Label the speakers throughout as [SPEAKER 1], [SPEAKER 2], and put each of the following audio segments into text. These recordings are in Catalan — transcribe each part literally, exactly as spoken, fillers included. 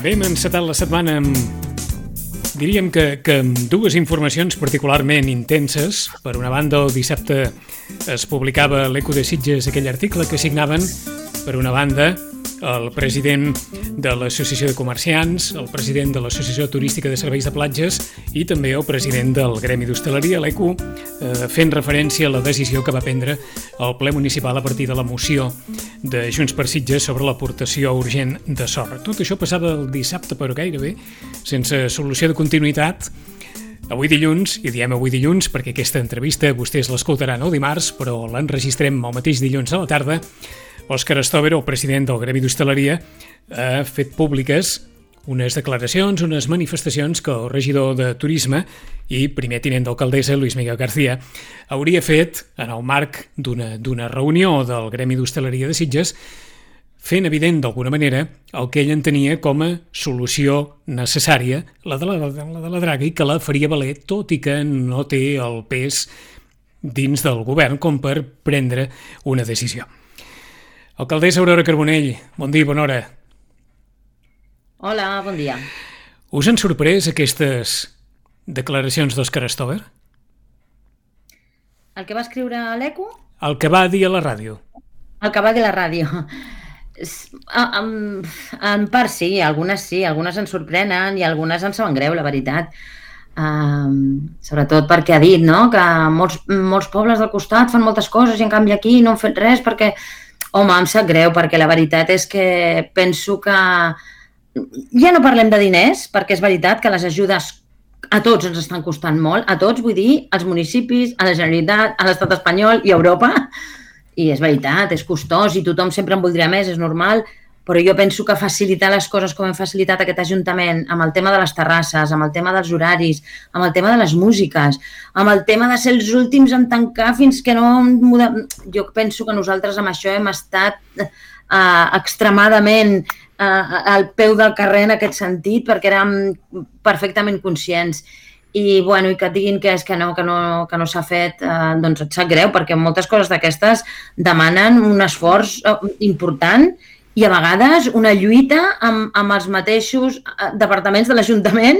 [SPEAKER 1] Bé, hem encetat la setmana amb, diríem que, que amb dues informacions particularment intenses. Per una banda, el dissabte es publicava a l'Eco de Sitges aquell article que signaven, per una banda, el president de l'Associació de Comerciants, el president de l'Associació Turística de Serveis de Platges i també el president del Gremi d'Hostaleria, l'Eco, eh, fent referència a la decisió que va prendre el ple municipal a partir de la moció de Junts per Sitges sobre l'aportació urgent de sorra. Tot això passava el dissabte, però gairebé sense solució de continuïtat. Avui dilluns, i diem avui dilluns perquè aquesta entrevista vostès l'escoltaran el dimarts, però l'enregistrem el mateix dilluns a la tarda, Òscar Stover, el president del Gremi d'Hostaleria, ha fet públiques unes declaracions, unes manifestacions que el regidor de Turisme i primer tinent d'alcaldessa, Luis Miguel García, hauria fet en el marc d'una d'una reunió del Gremi d'Hostaleria de Sitges, fent evident d'alguna manera el que ell entenia com a solució necessària, la de la, la de la draga, i que la faria valer, tot i que no té el pes dins del govern com per prendre una decisió. Alcaldessa Aurora Carbonell, bon dia, bona hora.
[SPEAKER 2] Hola, bon dia.
[SPEAKER 1] Us han sorprès aquestes declaracions d'Òscar Stover?
[SPEAKER 2] El que va escriure a l'Eco?
[SPEAKER 1] El que va dir a la ràdio.
[SPEAKER 2] El que va dir a la ràdio. En, en part sí, algunes sí, algunes ens sorprenen i algunes ens saben greu, la veritat. Um, sobretot perquè ha dit, no?, que molts, molts pobles del costat fan moltes coses i en canvi aquí no han fet res perquè... Home, em sap greu, perquè la veritat és que penso que ja no parlem de diners, perquè és veritat que les ajudes a tots ens estan costant molt, a tots, vull dir, als municipis, a la Generalitat, a l'Estat espanyol i a Europa, i és veritat, és costós i tothom sempre en voldria més, és normal, però jo penso que facilitar les coses com hem facilitat aquest Ajuntament, amb el tema de les terrasses, amb el tema dels horaris, amb el tema de les músiques, amb el tema de ser els últims en tancar fins que no... Jo penso que nosaltres amb això hem estat eh, extremadament eh, al peu del carrer en aquest sentit, perquè érem perfectament conscients. I, bueno, i que et diguin que és que no, que no, que no s'ha fet, eh, doncs et sap greu, perquè moltes coses d'aquestes demanen un esforç important i a vegades una lluita amb, amb els mateixos departaments de l'Ajuntament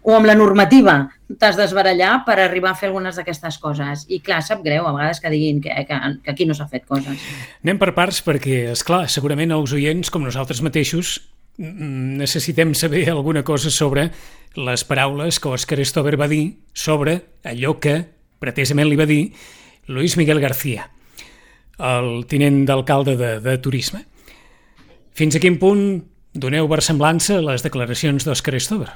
[SPEAKER 2] o amb la normativa. T'has d'esbarallar per arribar a fer algunes d'aquestes coses. I clar, sap greu a vegades que diguin que, que, que aquí no s'ha fet coses.
[SPEAKER 1] Anem per parts perquè, esclar, segurament els oients, com nosaltres mateixos, necessitem saber alguna cosa sobre les paraules que Òscar Stover va dir sobre allò que pretesament li va dir Luis Miguel García, el tinent d'alcalde de, de Turisme. Fins a quin punt doneu versemblança a les declaracions d'Òscar Stover?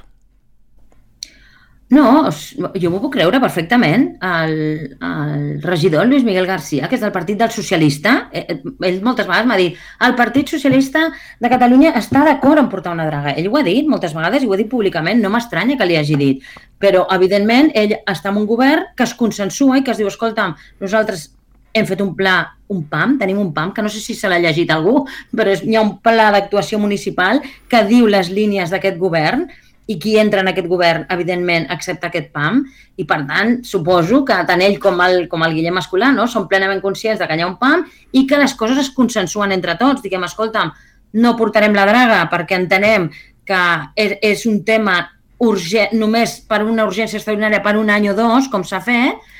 [SPEAKER 2] No, jo m'ho puc creure perfectament. El, el regidor Luis Miguel García, que és del Partit del Socialista, ell moltes vegades m'ha dit el Partit Socialista de Catalunya està d'acord en portar una draga. Ell ho ha dit moltes vegades i ho ha dit públicament, no m'estranya que li hagi dit. Però, evidentment, ell està en un govern que es consensua i que es diu, escolta'm, nosaltres hem fet un pla, un P A M, tenim un P A M, que no sé si se l'ha llegit algú, però hi ha un pla d'actuació municipal que diu les línies d'aquest govern i qui entra en aquest govern, evidentment, accepta aquest P A M i, per tant, suposo que tant ell com el, com el Guillem Escolà, no?, són plenament conscients de que hi ha un P A M i que les coses es consensuen entre tots. Diguem, escolta'm, no portarem la draga perquè entenem que és, és un tema urgent, només per una urgència extraordinària per un any o dos, com s'ha fet.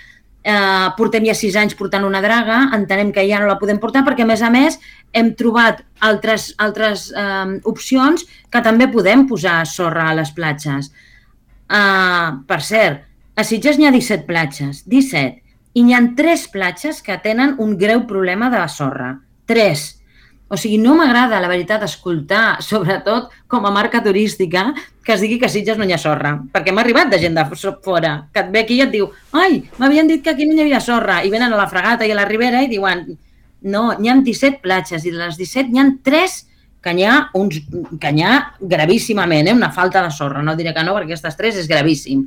[SPEAKER 2] Eh, portem ja sis anys portant una draga, entenem que ja no la podem portar perquè, a més a més, hem trobat altres, altres eh, opcions que també podem posar sorra a les platges. Eh, per cert, a Sitges n'hi ha disset platges, disset, i n'hi ha tres platges que tenen un greu problema de sorra. Tres. O sigui, no m'agrada, la veritat, escoltar, sobretot com a marca turística, que es digui que a Sitges no hi ha sorra. Perquè m'ha arribat de gent de fora, que et ve aquí i et diu ai, m'havien dit que aquí no hi havia sorra, i venen a la Fregata i a la Ribera i diuen no, n'hi ha disset platges, i de les disset n'hi ha tres que n'hi ha, uns, que n'hi ha gravíssimament, eh? Una falta de sorra. No diré que no, perquè aquestes tres és gravíssim.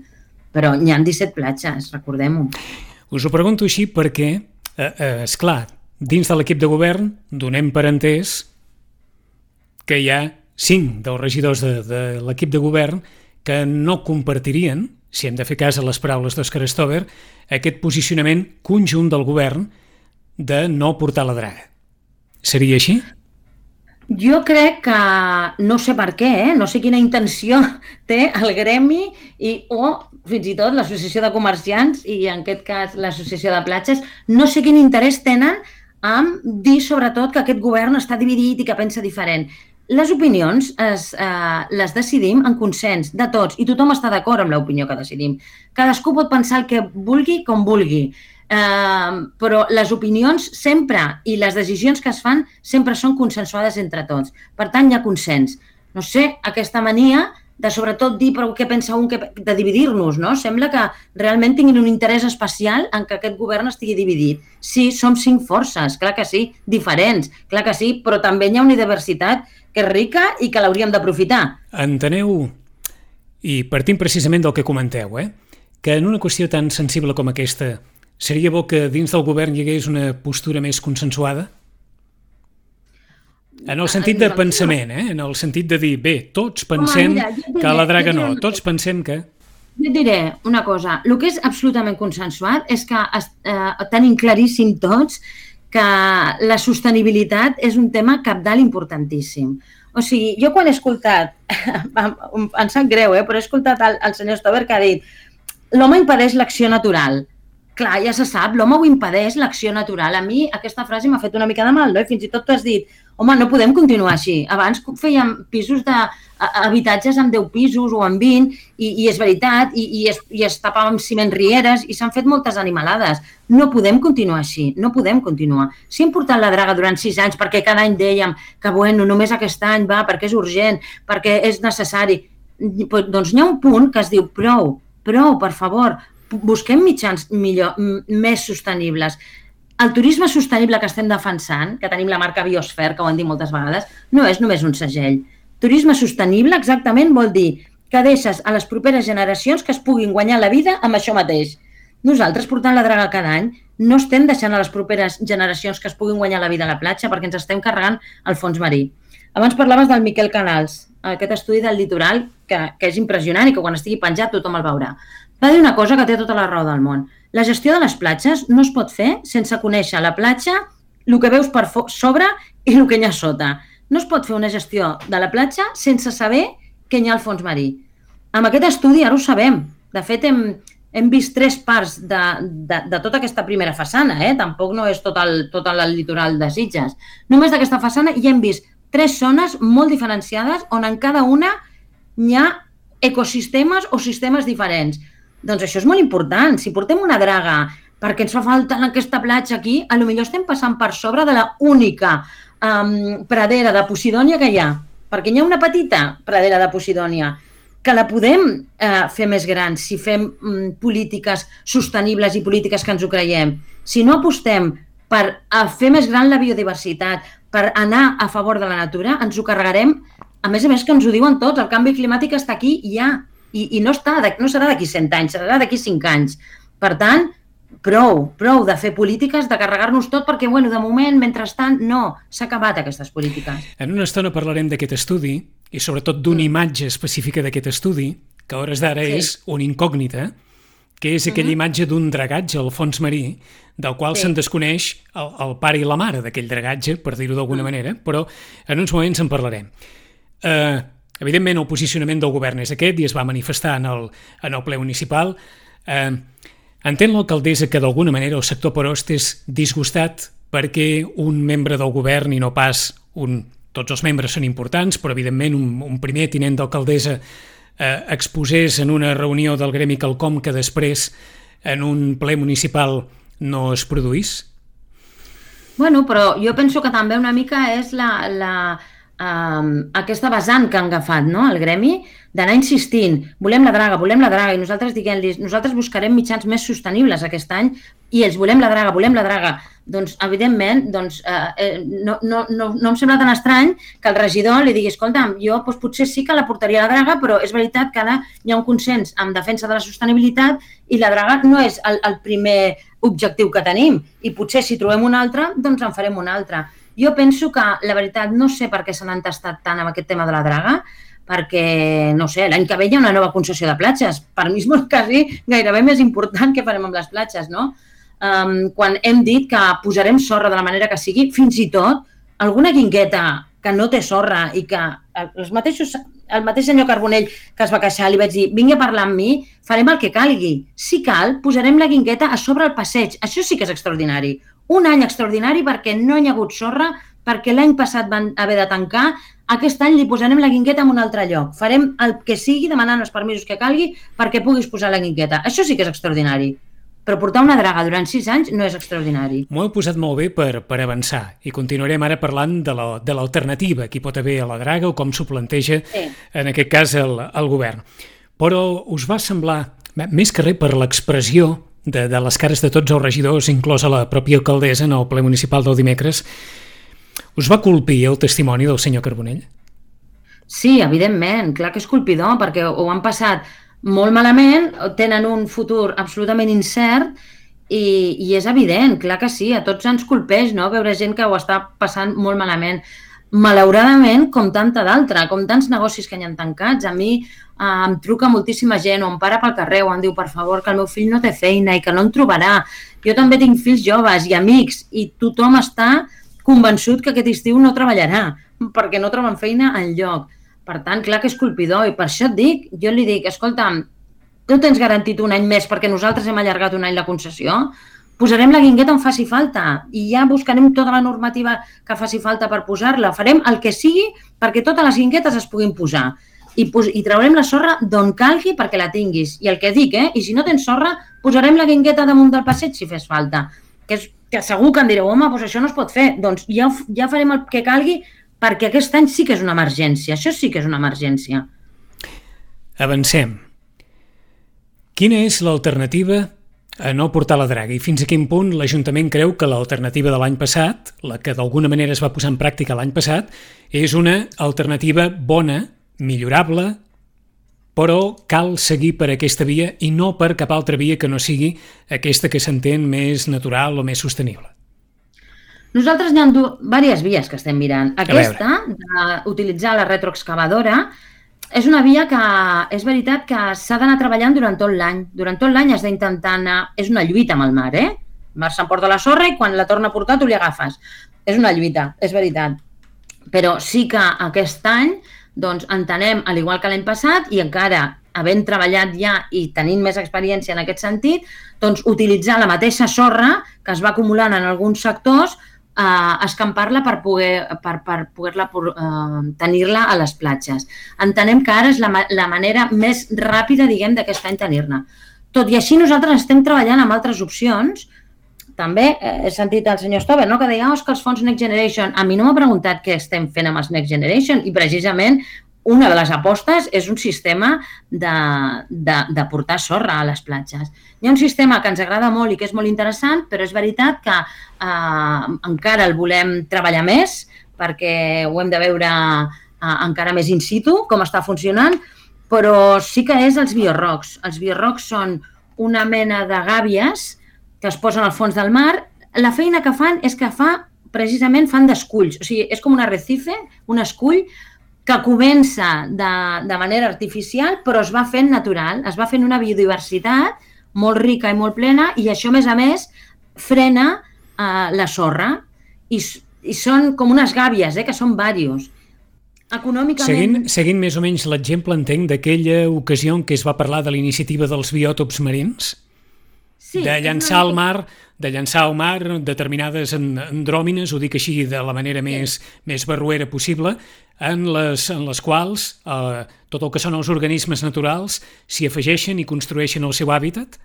[SPEAKER 2] Però n'hi ha disset platges, recordem-ho.
[SPEAKER 1] Us ho pregunto així perquè, eh, eh, esclar, dins de l'equip de govern donem per entès que hi ha cinc dels regidors de, de l'equip de govern que no compartirien, si hem de fer cas a les paraules d'Òscar Stover, aquest posicionament conjunt del govern de no portar la draga. Seria així?
[SPEAKER 2] Jo crec que, no sé per què, eh? No sé quina intenció té el gremi i, o fins i tot l'associació de comerciants i en aquest cas l'associació de platges, no sé quin interès tenen en dir sobretot que aquest govern està dividit i que pensa diferent. Les opinions es, eh, les decidim en consens de tots i tothom està d'acord amb l'opinió que decidim. Cadascú pot pensar el que vulgui com vulgui. Uh, però les opinions sempre i les decisions que es fan sempre són consensuades entre tots. Per tant, hi ha consens. No sé, aquesta mania de sobretot dir però què pensa un, que, de dividir-nos, no? Sembla que realment tinguin un interès especial en que aquest govern estigui dividit. Sí, som cinc forces, clar que sí, diferents, clar que sí, però també hi ha una diversitat que és rica i que l'hauríem d'aprofitar.
[SPEAKER 1] Enteneu, i partint precisament del que comenteu, eh, que en una qüestió tan sensible com aquesta seria bo que dins del govern hi hagués una postura més consensuada? En el sentit de pensament, eh? En el sentit de dir, bé, tots pensem Home, mira, diré, que a la draga no, tots pensem que...
[SPEAKER 2] Jo et diré una cosa, el que és absolutament consensuat és que eh, tenim claríssim tots que la sostenibilitat és un tema cabdal importantíssim. O sigui, jo quan he escoltat, em sap greu, eh, però he escoltat el, el senyor Stover que ha dit l'home impedeix l'acció natural. Clar, ja se sap, l'home ho impedeix, l'acció natural. A mi aquesta frase m'ha fet una mica de mal, no? I fins i tot tu has dit, home, no podem continuar així. Abans fèiem pisos de habitatges amb deu pisos o amb vint, i, i és veritat, i, i, es, i es tapava amb ciment rieres, i s'han fet moltes animalades. No podem continuar així, no podem continuar. Si hem portat la draga durant sis anys, perquè cada any dèiem que, bueno, només aquest any va, perquè és urgent, perquè és necessari, doncs hi ha un punt que es diu prou, prou, per favor, busquem mitjans millor, més sostenibles. El turisme sostenible que estem defensant, que tenim la marca Biosfer, que ho han dit moltes vegades, no és només un segell. Turisme sostenible exactament vol dir que deixes a les properes generacions que es puguin guanyar la vida amb això mateix. Nosaltres, portant la draga cada any, no estem deixant a les properes generacions que es puguin guanyar la vida a la platja perquè ens estem carregant el fons marí. Abans parlaves del Miquel Canals, aquest estudi del litoral, que, que és impressionant i que quan estigui penjat tothom el veurà. Va dir una cosa que té tota la raó del món. La gestió de les platges no es pot fer sense conèixer la platja, el que veus per sobre i el que hi ha sota. No es pot fer una gestió de la platja sense saber què hi ha al fons marí. Amb aquest estudi ara ho sabem. De fet, hem, hem vist tres parts de, de, de tota aquesta primera façana. Eh? Tampoc no és tot el, tot el litoral de Sitges. Només d'aquesta façana hi hem vist tres zones molt diferenciades on en cada una hi ha ecosistemes o sistemes diferents. Doncs això és molt important. Si portem una draga perquè ens fa falta en aquesta platja aquí, potser estem passant per sobre de la única um, pradera de Posidònia que hi ha. Perquè hi ha una petita pradera de Posidònia que la podem eh, fer més gran si fem um, polítiques sostenibles i polítiques que ens ho creiem. Si no apostem per a fer més gran la biodiversitat, per anar a favor de la natura, ens ho carregarem. A més a més que ens ho diuen tots, el canvi climàtic està aquí i ja. I, i no, està, no serà d'aquí cent anys, serà d'aquí cinc anys. Per tant, prou, prou de fer polítiques, de carregar-nos tot, perquè, bueno, de moment, mentrestant, no, s'ha acabat aquestes polítiques.
[SPEAKER 1] En una estona parlarem d'aquest estudi, i sobretot d'una imatge específica d'aquest estudi, que a hores d'ara sí. és una incògnita, que és aquella uh-huh. imatge d'un dragatge al fons marí, del qual sí. se'n desconeix el, el pare i la mare d'aquell dragatge, per dir-ho d'alguna uh-huh. manera, però en uns moments en parlarem. Eh... Uh, Evidentment, el posicionament del govern és aquest i es va manifestar en el, en el ple municipal. Eh, entén l'alcaldessa que d'alguna manera el sector Perost és disgustat perquè un membre del govern i no pas un... Tots els membres són importants, però evidentment un, un primer tinent d'alcaldessa eh, exposés en una reunió del gremi quelcom que després en un ple municipal no es produís?
[SPEAKER 2] Bueno, però jo penso que també una mica és la... la... Um, aquesta vessant que han agafat, no? El gremi, d'anar insistint, volem la draga, volem la draga, i nosaltres diguem-los, nosaltres buscarem mitjans més sostenibles aquest any, i ells volem la draga, volem la draga. Doncs, evidentment, doncs, eh, no, no, no, no em sembla tan estrany que el regidor li digui, escolta'm, jo doncs, potser sí que la portaria a la draga, però és veritat que ara hi ha un consens en defensa de la sostenibilitat i la draga no és el, el primer objectiu que tenim, i potser si trobem un altre, doncs en farem un altre. Jo penso que, la veritat, no sé per què s'han entestat tant amb aquest tema de la draga, perquè, no sé, l'any que ve hi ha una nova concessió de platges. Per mi és molt quasi gairebé més important que farem amb les platges, no? Um, quan hem dit que posarem sorra de la manera que sigui, fins i tot alguna guingueta que no té sorra i que els mateixos, el mateix senyor Carbonell que es va queixar, li vaig dir, vingui a parlar amb mi, farem el que calgui. Si cal, posarem la guingueta a sobre el passeig. Això sí que és extraordinari. Un any extraordinari perquè no hi ha hagut sorra, perquè l'any passat van haver de tancar, aquest any li posarem la guingueta en un altre lloc. Farem el que sigui, demanant els permisos que calgui perquè puguis posar la guingueta. Això sí que és extraordinari. Però portar una draga durant sis anys no és extraordinari.
[SPEAKER 1] M'ho heu posat molt bé per, per avançar i continuarem ara parlant de la, de l'alternativa que hi pot haver a la draga o com s'ho planteja, sí, en aquest cas, el, el govern. Però us va semblar, més que res per l'expressió de, de les cares de tots els regidors, inclosa la pròpia alcaldessa en el ple municipal del dimecres, us va colpir el testimoni del senyor Carbonell?
[SPEAKER 2] Sí, evidentment, clar que és colpidor, perquè ho han passat molt malament, tenen un futur absolutament incert i, i és evident, clar que sí, a tots ens colpeix, no?, veure gent que ho està passant molt malament. Malauradament, com tanta d'altra, com tants negocis que hi ha tancats, a mi eh, em truca moltíssima gent o em para pel carrer o em diu, per favor, que el meu fill no té feina i que no en trobarà. Jo també tinc fills joves i amics i tothom està convençut que aquest estiu no treballarà perquè no troben feina enlloc. Per tant, clar que és colpidor i per això et dic, jo li dic, escolta'm, tu tens garantit un any més perquè nosaltres hem allargat un any la concessió, posarem la guingueta on faci falta i ja buscarem tota la normativa que faci falta per posar-la, farem el que sigui perquè totes les guinguetes es puguin posar i, pos i traurem la sorra d'on calgui perquè la tinguis. I el que dic, eh? I si no tens sorra, posarem la guingueta damunt del passeig si fes falta. Que, és, que segur que em direu, home, doncs això no es pot fer. Doncs ja, ja farem el que calgui perquè aquest any sí que és una emergència. Això sí que és una emergència.
[SPEAKER 1] Avancem. Quina és l'alternativa a no portar la draga? I fins a quin punt l'Ajuntament creu que l'alternativa de l'any passat, la que d'alguna manera es va posar en pràctica l'any passat, és una alternativa bona, millorable, però cal seguir per aquesta via i no per cap altra via que no sigui aquesta que s'entén més natural o més sostenible?
[SPEAKER 2] Nosaltres hi ha diverses vies que estem mirant. Aquesta, d'utilitzar la retroexcavadora, és una via que és veritat que s'ha d'anar treballant durant tot l'any. Durant tot l'any has d'intentar anar... És una lluita amb el mar, eh? El mar s'emporta la sorra i quan la torna a portar tu li agafes. És una lluita, és veritat. Però sí que aquest any doncs, entenem, al igual que l'any passat, i encara havent treballat ja i tenint més experiència en aquest sentit, doncs utilitzar la mateixa sorra que es va acumulant en alguns sectors, Uh, escampar-la per poder per, per poder-la uh, tenir-la a les platges. Entenem que ara és la, la manera més ràpida, diguem, d'aquest any tenir-ne. Tot i així, nosaltres estem treballant amb altres opcions. També eh, he sentit el senyor Stover, no?, que deia, oh, és que els fons Next Generation... A mi no m'ha preguntat què estem fent amb els Next Generation i precisament una de les apostes és un sistema de, de, de portar sorra a les platges. Hi ha un sistema que ens agrada molt i que és molt interessant, però és veritat que eh, encara el volem treballar més perquè ho hem de veure eh, encara més in situ, com està funcionant, però sí que és els biorrocs. Els biorrocs són una mena de gàbies que es posen al fons del mar. La feina que fan és que fa, precisament fan d'esculls, o sigui, és com un arrecife, un escull, que comença de, de manera artificial, però es va fent natural, es va fent una biodiversitat molt rica i molt plena, i això, a més a més, frena eh, la sorra. I, I són com unes gàbies, eh, que són diversos. Econòmicament...
[SPEAKER 1] Seguint, seguint més o menys l'exemple, entenc, d'aquella ocasió en què es va parlar de la iniciativa dels biòtops marins, sí, de llançar al mar... de llançar al mar determinades andròmines, ho dic així de la manera més, més barruera possible, en les, en les quals eh, tot el que són els organismes naturals s'hi afegeixen i construeixen el seu hàbitat?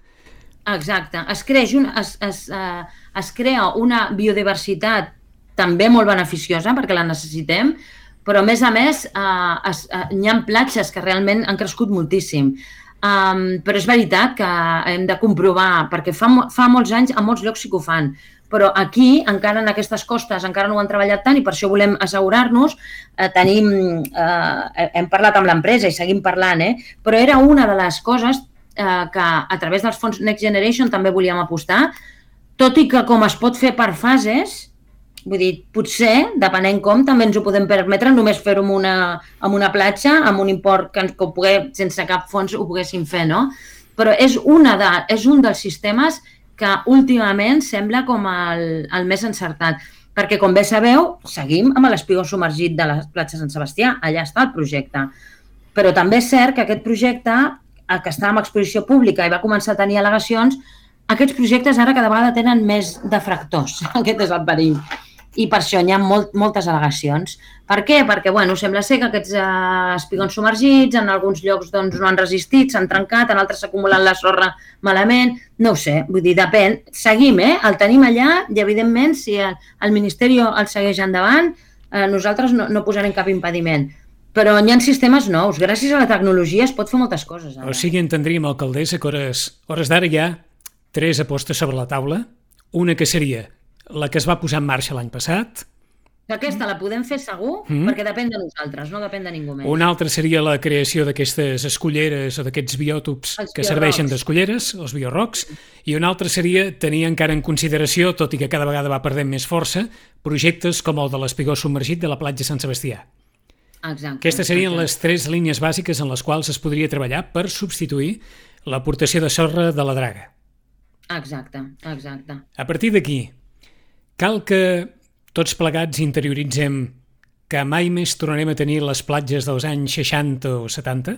[SPEAKER 2] Exacte. Es, creix una, es, es, uh, es crea una biodiversitat també molt beneficiosa perquè la necessitem, però a més a més uh, es, uh, hi ha platges que realment han crescut moltíssim. Um, però és veritat que hem de comprovar, perquè fa, fa molts anys a molts llocs sí que ho fan, però aquí, encara en aquestes costes, encara no ho han treballat tant i per això volem assegurar-nos. Eh, tenim, eh, hem parlat amb l'empresa i seguim parlant, eh? Però era una de les coses eh, que a través dels fons Next Generation també volíem apostar, tot i que com es pot fer per fases, vull dir, potser, depenent com, també ens ho podem permetre només fer-ho amb, una, amb una platja, amb un import que, que pogué, sense cap fons ho poguéssim fer, no? Però és, una de, és un dels sistemes que últimament sembla com el, el més encertat. perquè com bé sabeu, seguim amb l'espigó submergit de la platja Sant Sebastià, allà està el projecte. Però també és cert que aquest projecte, que està en exposició pública i va començar a tenir al·legacions, aquests projectes ara cada vegada tenen més detractors. Aquest és el perill. I per això hi ha molt, moltes al·legacions. Per què? Perquè, bueno, sembla ser que aquests eh, espigons submergits en alguns llocs doncs, no han resistit, s'han trencat, en altres s'ha acumulat la sorra malament, no ho sé, vull dir, depèn. Seguim, eh? El tenim allà i, evidentment, si el, el Ministeri el segueix endavant, eh, nosaltres no, no posarem cap impediment. Però hi ha sistemes nous. Gràcies a la tecnologia es pot fer moltes coses. Ara.
[SPEAKER 1] O sigui, entendríem, alcaldessa, que hores, hores d'ara hi ha tres apostes sobre la taula. Una que seria la que es va posar en marxa l'any passat.
[SPEAKER 2] Aquesta la podem fer segur, mm. perquè depèn de nosaltres, no depèn de ningú més.
[SPEAKER 1] Una altra seria la creació d'aquestes escolleres o d'aquests biòtops els que biorrocs. Serveixen d'escolleres, els biorrocs, i una altra seria tenir encara en consideració, tot i que cada vegada va perdent més força, projectes com el de l'espigó submergit de la platja Sant Sebastià.
[SPEAKER 2] Exacte.
[SPEAKER 1] Aquestes serien
[SPEAKER 2] exacte.
[SPEAKER 1] les tres línies bàsiques en les quals es podria treballar per substituir l'aportació de sorra de la draga.
[SPEAKER 2] Exacte, exacte.
[SPEAKER 1] A partir d'aquí, cal que tots plegats interioritzem que mai més tornarem a tenir les platges dels anys seixanta o setanta?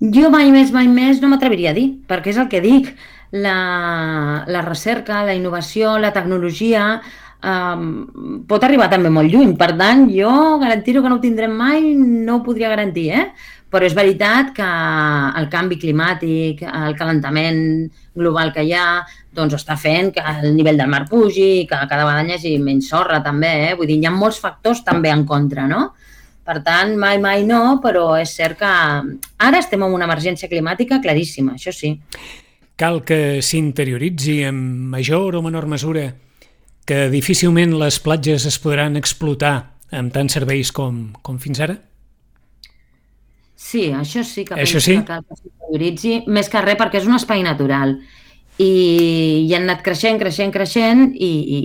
[SPEAKER 2] Jo mai més, mai més no m'atreviria a dir, perquè és el que dic. La, la recerca, la innovació, la tecnologia um, pot arribar també molt lluny. Per tant, jo garantir-ho que no ho tindrem mai no ho podria garantir, eh? Però és veritat que el canvi climàtic, el calentament global que hi ha, doncs està fent que el nivell del mar pugi, que cada vegada hi hagi menys sorra també, eh? Vull dir, hi ha molts factors també en contra, no? Per tant, mai, mai no, però és cert que ara estem en una emergència climàtica claríssima, això sí.
[SPEAKER 1] Cal que s'interioritzi en major o menor mesura que difícilment les platges es podran explotar amb tants serveis com, com fins ara?
[SPEAKER 2] Sí, això sí que
[SPEAKER 1] això
[SPEAKER 2] penso
[SPEAKER 1] sí?
[SPEAKER 2] que cal que s'interioritzi, més que res perquè és un espai natural i, i han anat creixent, creixent, creixent i, i,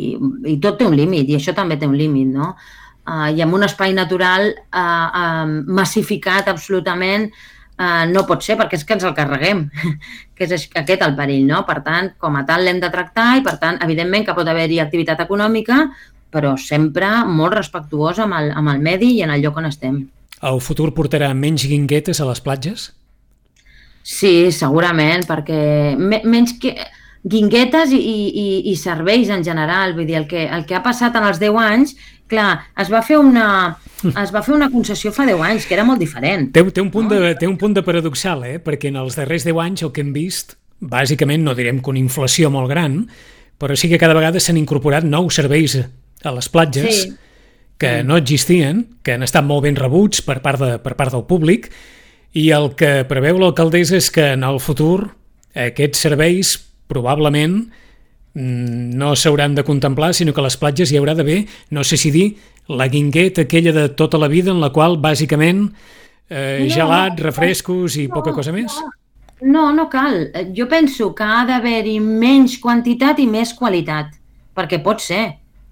[SPEAKER 2] i tot té un límit i això també té un límit, no? Uh, I amb un espai natural uh, uh, massificat absolutament uh, no pot ser perquè és que ens el carreguem, que és aquest el perill, no? Per tant, com a tal l'hem de tractar i per tant, evidentment que pot haver-hi activitat econòmica, però sempre molt respectuosa amb el, amb el medi i en el lloc on estem.
[SPEAKER 1] El futur portarà menys guinguetes a les platges?
[SPEAKER 2] Sí, segurament, perquè me, menys que guinguetes i, i, i serveis en general, vull dir, el que, el que ha passat en els deu anys, clar, es va fer una, es va fer una concessió fa deu anys, que era molt diferent.
[SPEAKER 1] Té, té, un punt de, té un punt de paradoxal, eh? Perquè en els darrers deu anys el que hem vist, bàsicament, no direm que una inflació molt gran, però sí que cada vegada s'han incorporat nous serveis a les platges, sí. que no existien, que han estat molt ben rebuts per part, de, per part del públic, i el que preveu l'alcaldessa és que en el futur aquests serveis probablement no s'hauran de contemplar, sinó que a les platges hi haurà d'haver, no sé si dir, la guingueta aquella de tota la vida en la qual bàsicament eh, no, gelat, refrescos i no, poca cosa més?
[SPEAKER 2] No, no cal. Jo penso que ha d'haver-hi menys quantitat i més qualitat, perquè pot ser.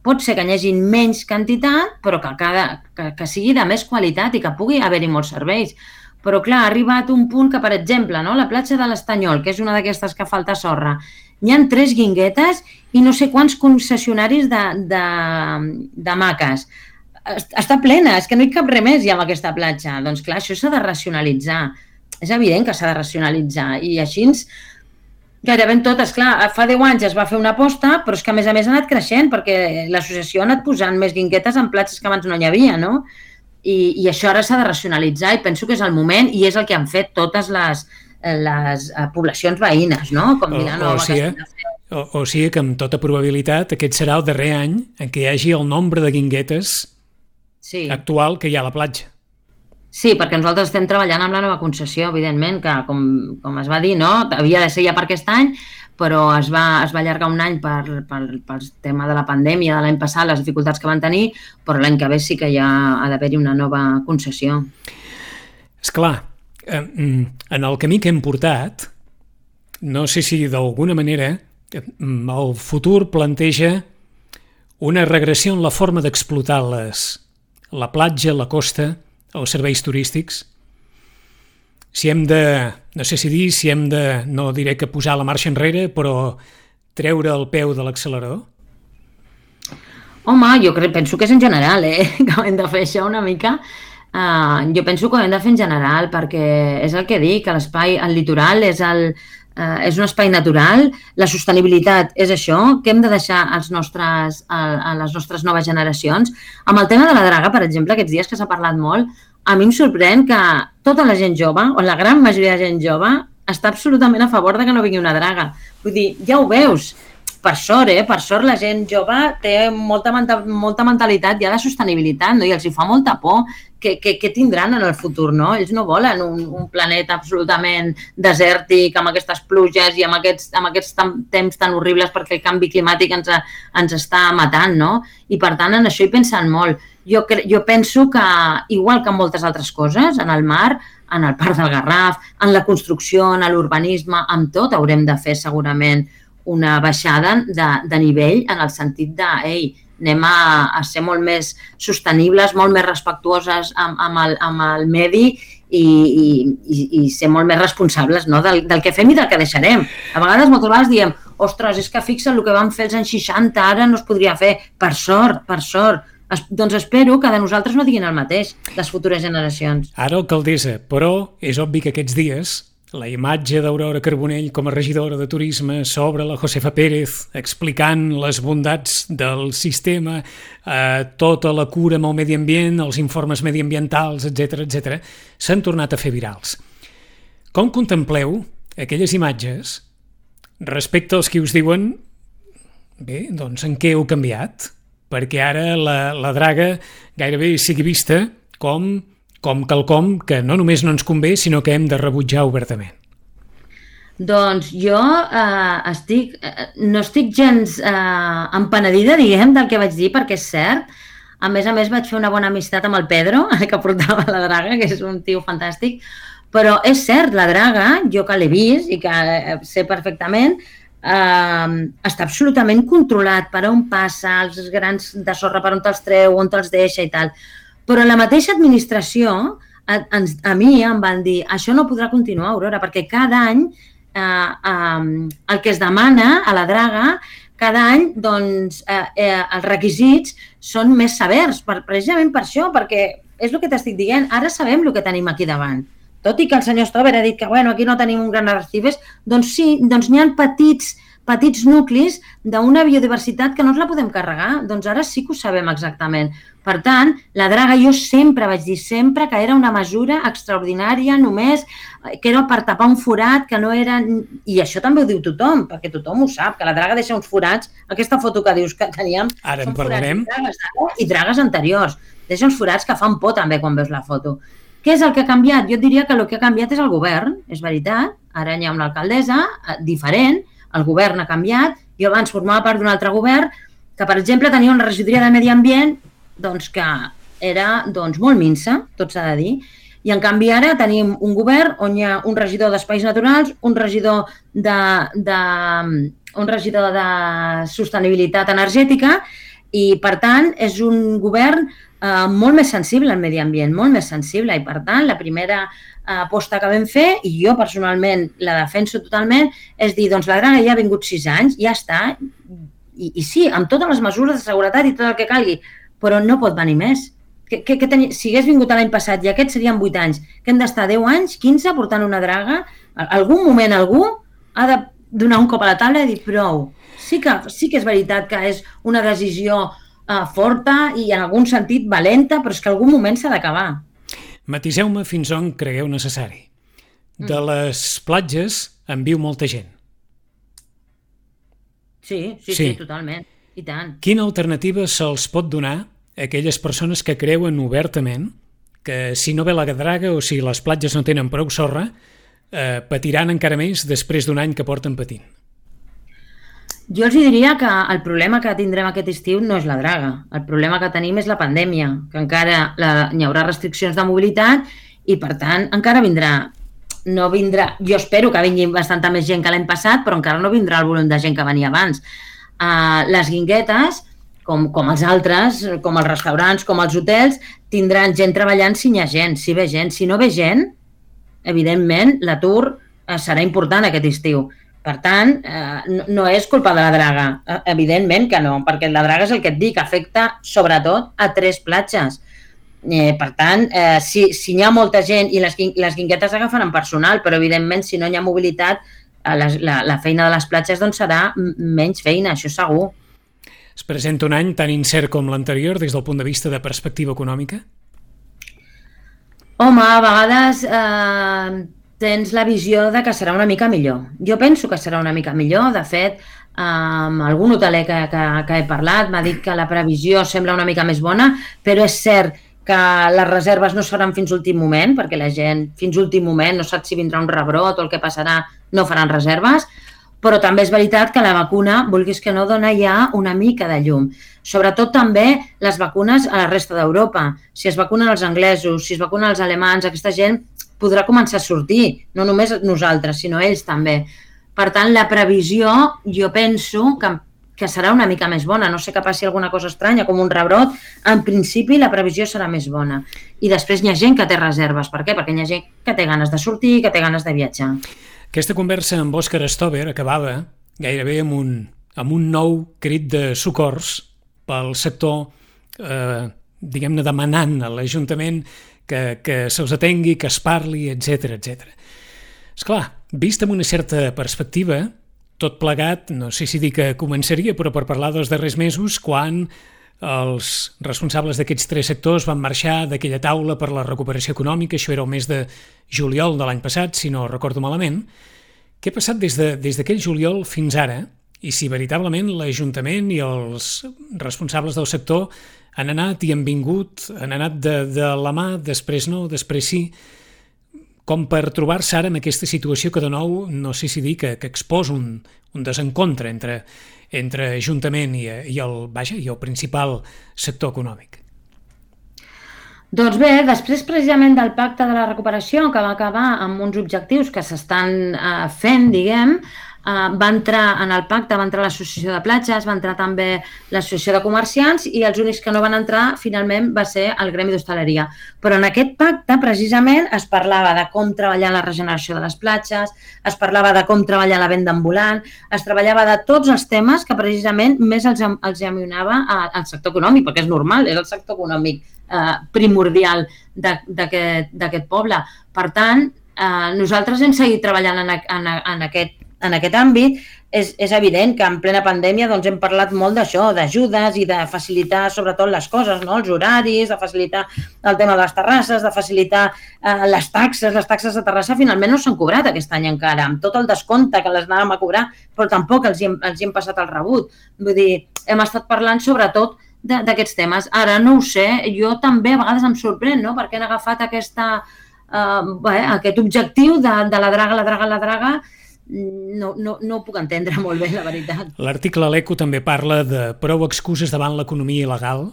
[SPEAKER 2] Pot ser que hi hagi menys quantitat, però que, cada, que, que sigui de més qualitat i que pugui haver-hi molts serveis. Però, clar, ha arribat un punt que, per exemple, no, la platja de l'Estanyol, que és una d'aquestes que falta sorra, hi ha tres guinguetes i no sé quants concessionaris de, de, de maques. Està plena, és que no hi cap res més ja amb aquesta platja. Doncs, clar, això s'ha de racionalitzar. És evident que s'ha de racionalitzar i així gairebé totes, clar, fa deu anys es va fer una aposta, però és que a més a més ha anat creixent perquè l'associació ha anat posant més guinguetes en platges que abans no hi havia, no? I, i això ara s'ha de racionalitzar i penso que és el moment i és el que han fet totes les, les poblacions veïnes, no? Com Vilanova,
[SPEAKER 1] o, o, sigui, o, o sigui que amb tota probabilitat aquest serà el darrer any en què hi hagi el nombre de guinguetes sí. actual que hi ha a la platja.
[SPEAKER 2] Sí, perquè nosaltres estem treballant amb la nova concessió, evidentment, que com, com es va dir, no? Havia de ser ja per aquest any, però es va, es va allargar un any per, per, pel tema de la pandèmia de l'any passat, les dificultats que van tenir, però l'any que ve sí que ja ha d'haver-hi una nova concessió.
[SPEAKER 1] Esclar, en el camí que hem portat, no sé si d'alguna manera el futur planteja una regressió en la forma d'explotar les, la platja, la costa, els serveis turístics. Si hem de, no sé si dir, si hem de, no diré que posar la marxa enrere, però treure el peu de l'accelerador?
[SPEAKER 2] Home, jo crec, penso que és en general, eh? que hem de fer això una mica. Uh, jo penso que ho hem de fer en general perquè és el que dic, que l'espai, el litoral és, el, uh, és un espai natural, la sostenibilitat és això, que hem de deixar als nostres, a, a les nostres noves generacions. Amb el tema de la draga, per exemple, aquests dies que s'ha parlat molt, a mi em sorprèn que tota la gent jove, o la gran majoria de gent jove, està absolutament a favor de que no vingui una draga. Vull dir, ja ho veus, per sort, eh? Per sort la gent jove té molta, molta mentalitat ja de sostenibilitat, no? I els hi fa molta por que, que, que tindran en el futur, no? Ells no volen un, un planeta absolutament desèrtic, amb aquestes pluges i amb aquests, amb aquests temps tan horribles perquè el canvi climàtic ens, ens està matant, no? I per tant, en això hi pensen molt. Jo, jo penso que, igual que en moltes altres coses, en el mar, en el Parc del Garraf, en la construcció, en l'urbanisme, amb tot haurem de fer segurament una baixada de, de nivell en el sentit de, ei, anem a, a ser molt més sostenibles, molt més respectuoses amb, amb, el, amb el medi i, i, i ser molt més responsables, no? del, del que fem i del que deixarem. A vegades, moltes vegades diem, ostres, és que fixa el que vam fer els anys seixanta, ara no es podria fer. Per sort, per sort. Es, doncs espero que de nosaltres no diguin el mateix, les futures generacions.
[SPEAKER 1] Ara, alcaldessa, però és obvi que aquests dies la imatge d'Aurora Carbonell com a regidora de turisme sobre la Josefa Pérez explicant les bondats del sistema, eh, tota la cura amb el medi ambient, els informes mediambientals, etcètera, etcètera, s'han tornat a fer virals. Com contempleu aquelles imatges respecte als que us diuen bé, doncs en què heu canviat? Perquè ara la, la draga gairebé sigui vista com com quelcom que no només no ens convé, sinó que hem de rebutjar obertament.
[SPEAKER 2] Doncs jo eh, estic, eh, no estic gens eh, empenedida, diguem, del que vaig dir, perquè és cert. A més a més, vaig fer una bona amistat amb el Pedro, que portava la draga, que és un tio fantàstic. Però és cert, la draga, jo que l'he vist i que sé perfectament, eh, està absolutament controlat per on passa, els grans de sorra per on te'ls treu, on te'ls deixa i tal. Però la mateixa administració, a, a, a mi em van dir això no podrà continuar, Aurora, perquè cada any eh, eh, el que es demana a la draga, cada any doncs, eh, eh, els requisits són més severs, per, precisament per això, perquè és el que t'estic dient, ara sabem el que tenim aquí davant. Tot i que el senyor Stover ha dit que bueno, aquí no tenim un gran arrecifes, doncs sí, doncs n'hi ha petits, petits nuclis d'una biodiversitat que no ens la podem carregar, doncs ara sí que ho sabem exactament. Per tant, la draga jo sempre vaig dir, sempre que era una mesura extraordinària, només que era per tapar un forat, que no era... I això també ho diu tothom, perquè tothom ho sap, que la draga deixa uns forats. Aquesta foto que dius que teníem
[SPEAKER 1] ara
[SPEAKER 2] són
[SPEAKER 1] en parlarem.
[SPEAKER 2] Forats dragues, i dragues anteriors. Deixa uns forats que fan por també quan veus la foto. Què és el que ha canviat? Jo diria que el que ha canviat és el govern, és veritat. Ara hi ha una alcaldessa diferent, el govern ha canviat. Jo abans formava part d'un altre govern que, per exemple, tenia una regidoria de medi ambient doncs que era doncs, molt minsa, tot s'ha de dir, i en canvi ara tenim un govern on hi ha un regidor d'espais naturals, un regidor de, de, un regidor de sostenibilitat energètica i, per tant, és un govern eh, molt més sensible al medi ambient, molt més sensible, i, per tant, la primera eh, aposta que vam fer, i jo personalment la defenso totalment, és dir, doncs la draga ja ha vingut sis anys, ja està, i, i sí, amb totes les mesures de seguretat i tot el que calgui, però no pot venir més. Que, que, que teni... Si hagués vingut l'any passat i aquests serien vuit anys, que hem d'estar deu anys, quinze, portant una draga, en algun moment algú ha de donar un cop a la taula i dir prou. Sí que, sí que és veritat que és una decisió uh, forta i en algun sentit valenta, però és que en algun moment s'ha d'acabar.
[SPEAKER 1] Matiseu-me fins on cregueu necessari. De les platges en viu molta gent.
[SPEAKER 2] Sí, sí, sí, sí, totalment. I tant.
[SPEAKER 1] Quina alternativa se'ls pot donar a aquelles persones que creuen obertament que si no ve la draga o si les platges no tenen prou sorra, eh, patiran encara més després d'un any que porten patint?
[SPEAKER 2] Jo els diria que el problema que tindrem aquest estiu no és la draga. El problema que tenim és la pandèmia, que encara la, hi haurà restriccions de mobilitat i, per tant, encara vindrà... No vindrà... Jo espero que vingui bastanta més gent que l'any passat, però encara no vindrà el volum de gent que venia abans. Uh, les guinguetes, com, com els altres, com els restaurants, com els hotels, tindran gent treballant si hi ha gent, si ve gent. Si no ve gent, evidentment, l'atur uh, serà important aquest estiu. Per tant, eh, no és culpa de la draga, evidentment que no, perquè la draga és el que et dic, afecta sobretot a tres platges. Eh, per tant, eh, si, si hi ha molta gent i les, les guinguetes agafaran personal, però evidentment si no hi ha mobilitat, la, la, la feina de les platges doncs serà menys feina, això segur.
[SPEAKER 1] Es presenta un any tan incert com l'anterior des del punt de vista de perspectiva econòmica?
[SPEAKER 2] Home, a vegades eh, tens la visió de que serà una mica millor. Jo penso que serà una mica millor. De fet, amb algun hoteler que, que, que he parlat m'ha dit que la previsió sembla una mica més bona, però és cert que les reserves no seran fins l'últim moment, perquè la gent fins l'últim moment no sap si vindrà un rebrot o el que passarà, no faran reserves, però també és veritat que la vacuna, vulguis que no, dona ja una mica de llum. Sobretot també les vacunes a la resta d'Europa. Si es vacunen els anglesos, si es vacunen els alemans, aquesta gent podrà començar a sortir, no només nosaltres, sinó ells també. Per tant, la previsió, jo penso que, que serà una mica més bona. No sé que passi alguna cosa estranya, com un rebrot. En principi, la previsió serà més bona. I després hi ha gent que té reserves. Per què? Perquè hi ha gent que té ganes de sortir, que té ganes de viatjar.
[SPEAKER 1] Aquesta conversa amb Òscar Stover acabava gairebé amb un, amb un nou crit de socors pel sector, eh, diguem-ne, demanant a l'Ajuntament que, que se'ls atengui, que es parli, etcètera, etcètera. Esclar, vist amb una certa perspectiva, tot plegat, no sé si dir que començaria, però per parlar dels darrers mesos, quan els responsables d'aquests tres sectors van marxar d'aquella taula per la recuperació econòmica, això era el mes de juliol de l'any passat, si no recordo malament. Què ha passat des de, des d'aquell juliol fins ara? I si veritablement l'Ajuntament i els responsables del sector han anat i han vingut, han anat de, de la mà, després no, després sí, com per trobar-se ara en aquesta situació que de nou, no sé si dir, que, que exposa un, un desencontre entre, entre Ajuntament i, i, el, vaja, i el principal sector econòmic.
[SPEAKER 2] Doncs bé, després precisament del pacte de la recuperació, que va acabar amb uns objectius que s'estan eh, fent, diguem, eh, va entrar en el pacte, va entrar l'Associació de Platges, va entrar també l'Associació de Comerciants i els únics que no van entrar finalment va ser el Gremi d'Hostaleria. Però en aquest pacte precisament es parlava de com treballar la regeneració de les platges, es parlava de com treballar la venda ambulant, es treballava de tots els temes que precisament més els, els amunava al sector econòmic, perquè és normal, és el sector econòmic eh, primordial d'aquest poble. Per tant, eh, nosaltres hem seguit treballant en, en, en, aquest, en aquest àmbit. És, és evident que en plena pandèmia doncs, hem parlat molt d'això, d'ajudes i de facilitar sobretot les coses, no? Els horaris, de facilitar el tema de les terrasses, de facilitar eh, les taxes. Les taxes de terrassa finalment no s'han cobrat aquest any encara, amb tot el descompte que les anàvem a cobrar, però tampoc els hi hem, els hi hem passat el rebut. Vull dir, hem estat parlant sobretot d'aquests temes. Ara no ho sé, jo també a vegades em sorprèn, no? Perquè han agafat aquesta, eh, bé, aquest objectiu de, de la draga, la draga, la draga. No, no, no ho puc entendre molt bé, la veritat.
[SPEAKER 1] L'article a l'Eco també parla de prou excuses davant l'economia il·legal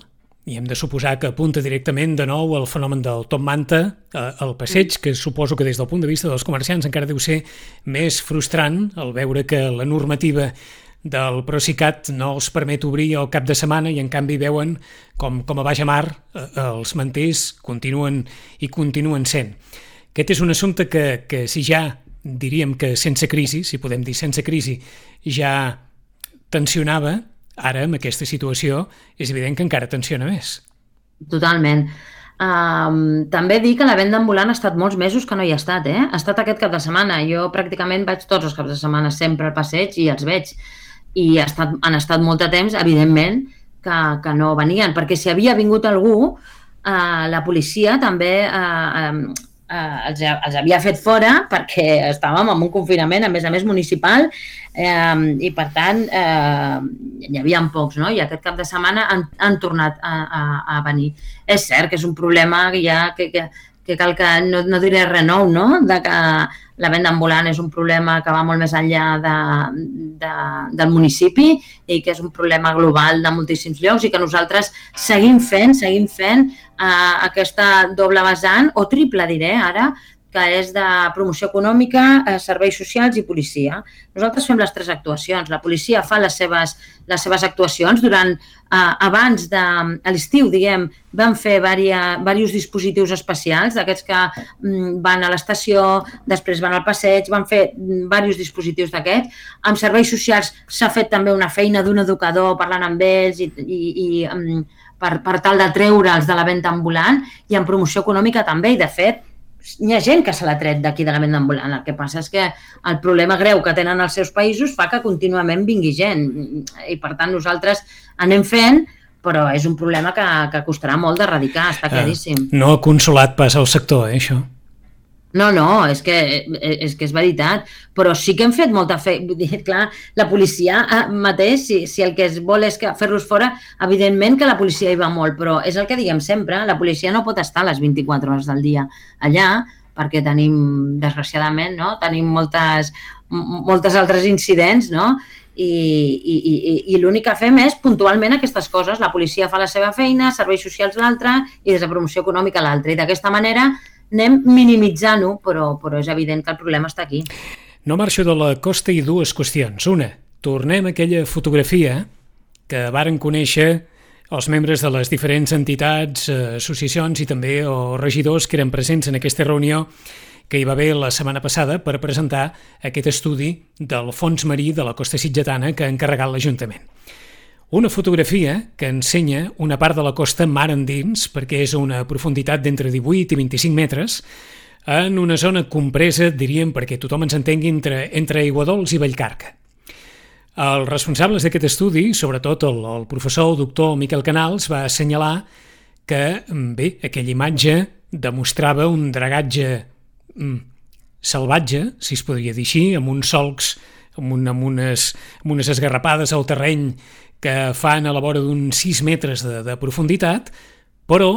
[SPEAKER 1] i hem de suposar que apunta directament de nou al fenomen del top manta, al passeig, que suposo que des del punt de vista dels comerciants encara deu ser més frustrant el veure que la normativa del Procicat no els permet obrir el cap de setmana i en canvi veuen com, com a baix mar els manters continuen i continuen sent. Aquest és un assumpte que, que si ja diríem que sense crisi, si podem dir sense crisi, ja tensionava, ara amb aquesta situació és evident que encara tensiona més.
[SPEAKER 2] Totalment. Um, també dir que la venda ambulant ha estat molts mesos que no hi ha estat, eh? Ha estat aquest cap de setmana. Jo pràcticament vaig tots els caps de setmana sempre al passeig i els veig. I ha estat, han estat molt de temps, evidentment, que, que no venien, perquè si havia vingut algú, eh, la policia també eh, eh, eh, els, els havia fet fora perquè estàvem en un confinament, a més a més municipal, eh, i per tant eh, hi havia pocs, no? I aquest cap de setmana han, han tornat a, a, a venir. És cert que és un problema que ja que, que, que cal que, no, no diré res nou, no? De que la venda ambulant és un problema que va molt més enllà de, de, del municipi i que és un problema global de moltíssims llocs i que nosaltres seguim fent, seguim fent eh, aquesta doble vessant, o triple diré ara, que és de promoció econòmica, eh, serveis socials i policia. Nosaltres fem les tres actuacions. La policia fa les seves, les seves actuacions. Durant, eh, abans de a l'estiu, diguem, vam fer diversos dispositius especials, d'aquests que mm, van a l'estació, després van al passeig, van fer diversos dispositius d'aquests. Amb serveis socials s'ha fet també una feina d'un educador parlant amb ells i, i, i um, per, per tal de treure'ls de la venda ambulant, i en promoció econòmica també, i de fet hi ha gent que se l'ha tret d'aquí de la venda ambulant. El que passa és que el problema greu que tenen els seus països fa que contínuament vingui gent, i per tant nosaltres anem fent, però és un problema que, que costarà molt d'erradicar, està claríssim.
[SPEAKER 1] No ha consolat pas el sector, eh, això?
[SPEAKER 2] No, no, és que, és que és veritat, però sí que hem fet molta feina. Clar, la policia mateix, si, si el que es vol és fer-los fora, evidentment que la policia hi va molt, però és el que diguem sempre, la policia no pot estar les vint-i-quatre hores del dia allà, perquè tenim, desgraciadament, no? tenim moltes, moltes altres incidents, no? i, i, i, i l'únic que fem és puntualment aquestes coses. La policia fa la seva feina, serveis socials l'altra i des de promoció econòmica l'altra, i d'aquesta manera anem minimitzant-ho, però, però és evident que el problema està aquí.
[SPEAKER 1] No marxo de la costa i dues qüestions. Una, tornem a aquella fotografia que varen conèixer els membres de les diferents entitats, associacions i també o regidors que eren presents en aquesta reunió que hi va haver la setmana passada per presentar aquest estudi del fons marí de la costa sitgetana que ha encarregat l'Ajuntament. Una fotografia que ensenya una part de la costa mar endins, perquè és a una profunditat d'entre divuit i vint-i-cinc metres, en una zona compresa, diríem, perquè tothom ens entengui, entre, entre Aiguadols i Vallcarca. Els responsables d'aquest estudi, sobretot el, el professor el doctor Miquel Canals, va assenyalar que, bé, aquella imatge demostrava un dragatge mm, salvatge, si es podria dir així, amb uns solcs, amb, un, amb, unes, amb unes esgarrapades al terreny que fan a la vora d'uns sis metres de, de profunditat, però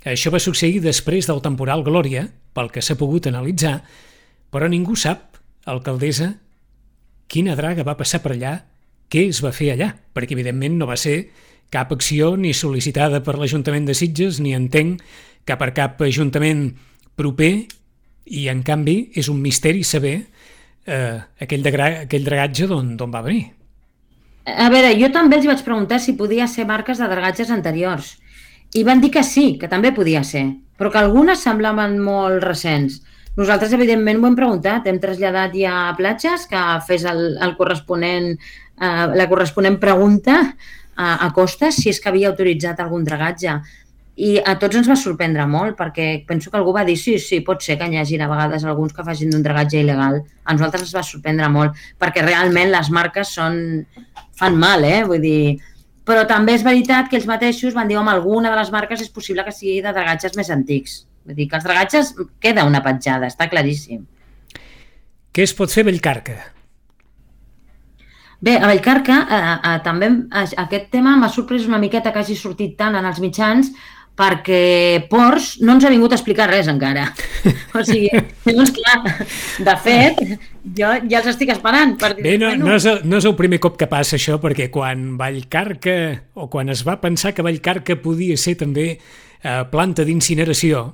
[SPEAKER 1] això va succeir després del temporal Glòria, pel que s'ha pogut analitzar, però ningú sap, alcaldessa, quina draga va passar per allà, què es va fer allà, perquè evidentment no va ser cap acció ni sol·licitada per l'Ajuntament de Sitges, ni entenc que per cap ajuntament proper, i en canvi és un misteri saber eh, aquell, degra aquell dragatge d'on va venir.
[SPEAKER 2] A veure, jo també els vaig preguntar si podia ser marques de dragatges anteriors i van dir que sí, que també podia ser, però que algunes semblaven molt recents. Nosaltres, evidentment, ho hem preguntat, hem traslladat ja a Platges que fes el, el corresponent, eh, la corresponent pregunta a, a Costes si és que havia autoritzat algun dragatge. I a tots ens va sorprendre molt, perquè penso que algú va dir sí, sí, pot ser que hi hagi a vegades alguns que facin d'un dragatge il·legal. A nosaltres ens va sorprendre molt, perquè realment les marques són... fan mal, eh? Vull dir... Però també és veritat que ells mateixos van dir, home, alguna de les marques és possible que sigui de dragatges més antics. Vull dir que els dragatges queda una petjada, està claríssim.
[SPEAKER 1] Què es pot fer a Vallcarca?
[SPEAKER 2] Bé, a Vallcarca eh, eh, també eh, aquest tema m'ha sorprès una miqueta que hagi sortit tant en els mitjans, perquè Ports no ens ha vingut a explicar res encara. O sigui, doncs clar, de fet, jo ja els estic esperant. Per dir,
[SPEAKER 1] Bé, no, no, és el, no és el primer cop que passa això, perquè quan Vallcarca, o quan es va pensar que Vallcarca podia ser també eh, planta d'incineració,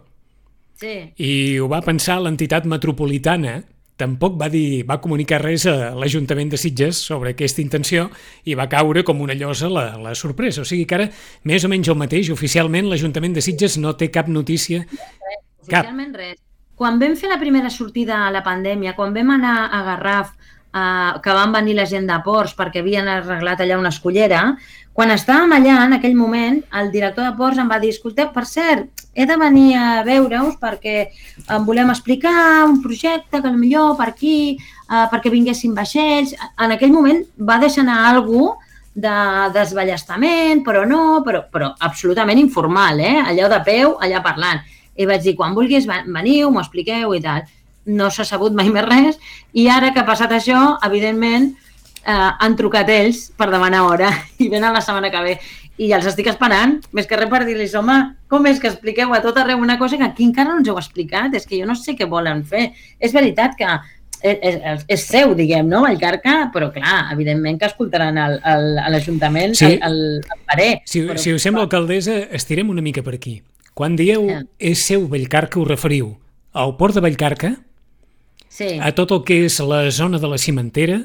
[SPEAKER 2] sí.
[SPEAKER 1] I ho va pensar l'entitat metropolitana, tampoc va dir, va comunicar res a l'Ajuntament de Sitges sobre aquesta intenció i va caure com una llosa la, la sorpresa. O sigui que ara, més o menys el mateix, oficialment l'Ajuntament de Sitges no té cap notícia.
[SPEAKER 2] Res, oficialment res. Quan vam fer la primera sortida a la pandèmia, quan vam anar a Garraf, eh, que van venir la gent de Ports perquè havien arreglat allà una escollera, quan estàvem allà, en aquell moment, el director de Ports em va dir, escolteu, per cert, he de venir a veure-us perquè em volem explicar un projecte que potser per aquí, eh, perquè vinguessin vaixells. En aquell moment va deixar anar algú de desballestament, però no, però, però absolutament informal, eh? Allò de peu, allà parlant. I vaig dir, quan vulguis, veniu, m'ho expliqueu i tal. No s'ha sabut mai més res i ara que ha passat això, evidentment, eh, han trucat ells per demanar hora i venen la setmana que ve. I ja els estic esperant, més que res per dir-los, home, com és que expliqueu a tot arreu una cosa que aquí encara no ens heu explicat? És que jo no sé què volen fer. És veritat que és, és, és seu, diguem, no, Vallcarca, però clar, evidentment que escoltaran el, el, a l'Ajuntament sí. el, el, el parer.
[SPEAKER 1] Si,
[SPEAKER 2] però,
[SPEAKER 1] si us sembla, alcaldessa, estirem una mica per aquí. Quan dieu
[SPEAKER 2] sí.
[SPEAKER 1] és seu Vallcarca, us referiu al port de Vallcarca,
[SPEAKER 2] Sí.
[SPEAKER 1] a tot el que és la zona de la cimentera,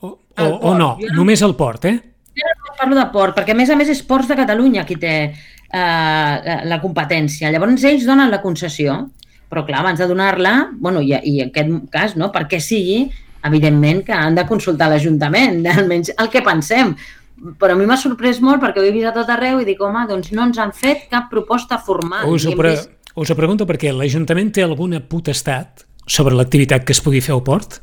[SPEAKER 1] o, o,
[SPEAKER 2] El
[SPEAKER 1] o no,
[SPEAKER 2] port, jo no-
[SPEAKER 1] només el port, eh?
[SPEAKER 2] Jo no parlo de port, perquè a més a més és Ports de Catalunya qui té eh, la, la competència. Llavors ells donen la concessió, però clar, abans de donar-la, bueno, i, i en aquest cas, no, perquè sigui, evidentment que han de consultar l'Ajuntament, almenys el que pensem. Però a mi m'ha sorprès molt perquè ho he vist a tot arreu i dic, home, doncs no ens han fet cap proposta formal.
[SPEAKER 1] Us ho,
[SPEAKER 2] I hem
[SPEAKER 1] pre
[SPEAKER 2] vist-
[SPEAKER 1] us ho pregunto perquè l'Ajuntament té alguna potestat sobre l'activitat que es pugui fer al port?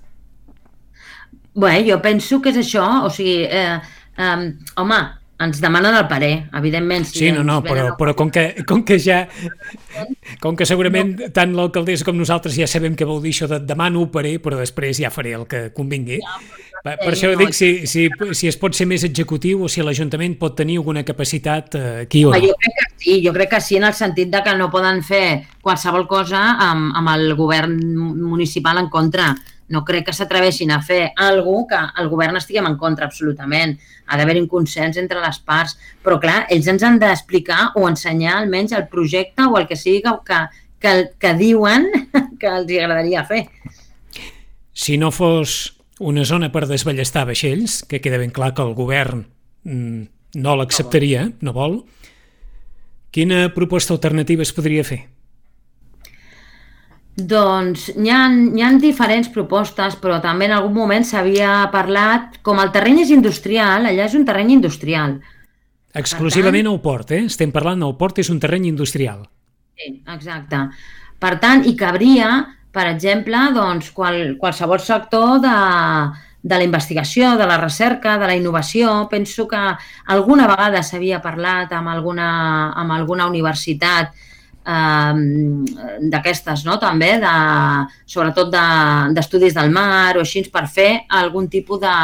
[SPEAKER 2] Bé, jo penso que és això, o sigui, eh, eh, home, ens demanen el parer, evidentment. Si
[SPEAKER 1] Sí, no,
[SPEAKER 2] ens
[SPEAKER 1] no,
[SPEAKER 2] venen
[SPEAKER 1] però,
[SPEAKER 2] a-
[SPEAKER 1] però com, que, com que ja... Com que segurament tant l'alcaldessa com nosaltres ja sabem què vol dir això de demano parer, però després ja faré el que convingui. Per, per això dic si, si, si es pot ser més executiu o si l'Ajuntament pot tenir alguna capacitat eh, aquí o
[SPEAKER 2] Home,
[SPEAKER 1] no.
[SPEAKER 2] jo crec que sí, jo crec que sí en el sentit de que no poden fer qualsevol cosa amb, amb el govern municipal en contra. No crec que s'atreveixin a fer alguna cosa que el govern estiguem en contra, absolutament. Ha d'haver un consens entre les parts. Però, clar, ells ens han d'explicar o ensenyar almenys el projecte o el que sigui que, que, que, que diuen que els agradaria fer.
[SPEAKER 1] Si no fos una zona per desballestar vaixells, que queda ben clar que el govern mm, no l'acceptaria, no vol, quina proposta alternativa es podria fer?
[SPEAKER 2] Doncs hi ha, hi ha diferents propostes, però també en algun moment s'havia parlat, com el terreny és industrial, allà és un terreny industrial.
[SPEAKER 1] Exclusivament al port, eh? Estem parlant del port, és un terreny industrial.
[SPEAKER 2] Sí, exacte. Per tant, hi cabria, per exemple, doncs, qual, qualsevol sector de, de la investigació, de la recerca, de la innovació. Penso que alguna vegada s'havia parlat amb alguna, amb alguna universitat eh, d'aquestes, no? També, de, sobretot d'estudis de, del mar o així, per fer algun tipus de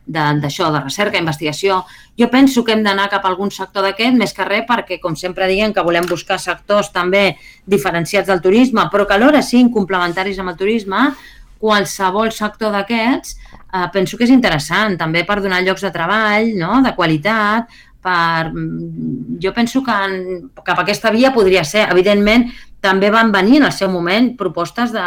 [SPEAKER 2] d'això, de, de recerca, investigació. Jo penso que hem d'anar cap a algun sector d'aquest, més que res perquè, com sempre diguem, que volem buscar sectors també diferenciats del turisme, però que alhora siguin complementaris amb el turisme. Qualsevol sector d'aquests eh, penso que és interessant, també per donar llocs de treball, no?, de qualitat, per... jo penso que en, cap a aquesta via podria ser. Evidentment, també van venir en el seu moment propostes de,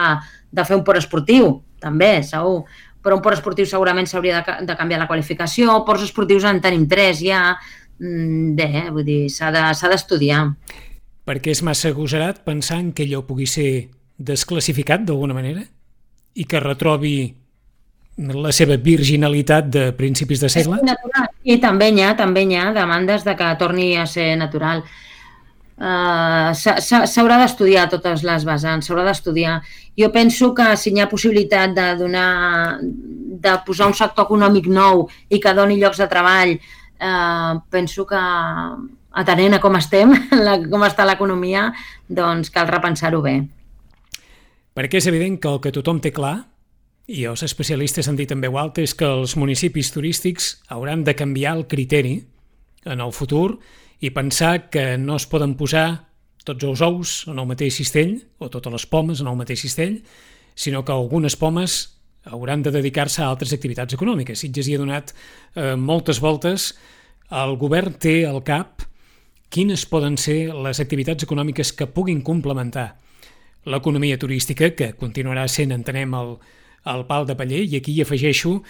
[SPEAKER 2] de fer un port esportiu, també, segur. Però un port esportiu segurament s'hauria de, de canviar la qualificació. Ports esportius en tenim tres ja. Bé, vull dir, s'ha de, s'ha d'estudiar.
[SPEAKER 1] Perquè és massa agosarat pensar en que allò pugui ser desclassificat d'alguna manera i que retrobi la seva virginalitat de principis de segle?
[SPEAKER 2] És natural. I també hi ha, també hi ha demandes de que torni a ser natural. Uh, s'haurà d'estudiar totes les vessants, s'haurà d'estudiar. Jo penso que si hi ha possibilitat de donar, de posar un sector econòmic nou i que doni llocs de treball, uh, penso que atenent a com estem, la, com està l'economia, doncs cal repensar-ho bé.
[SPEAKER 1] Perquè és evident que el que tothom té clar, i els especialistes han dit en veu alta, és que els municipis turístics hauran de canviar el criteri en el futur i pensar que no es poden posar tots els ous en el mateix cistell o totes les pomes en el mateix cistell, sinó que algunes pomes hauran de dedicar-se a altres activitats econòmiques. Sitges hi ha donat eh, moltes voltes. El govern té al cap quines poden ser les activitats econòmiques que puguin complementar l'economia turística, que continuarà sent, entenem, el, el pal de paller, i aquí hi afegeixo,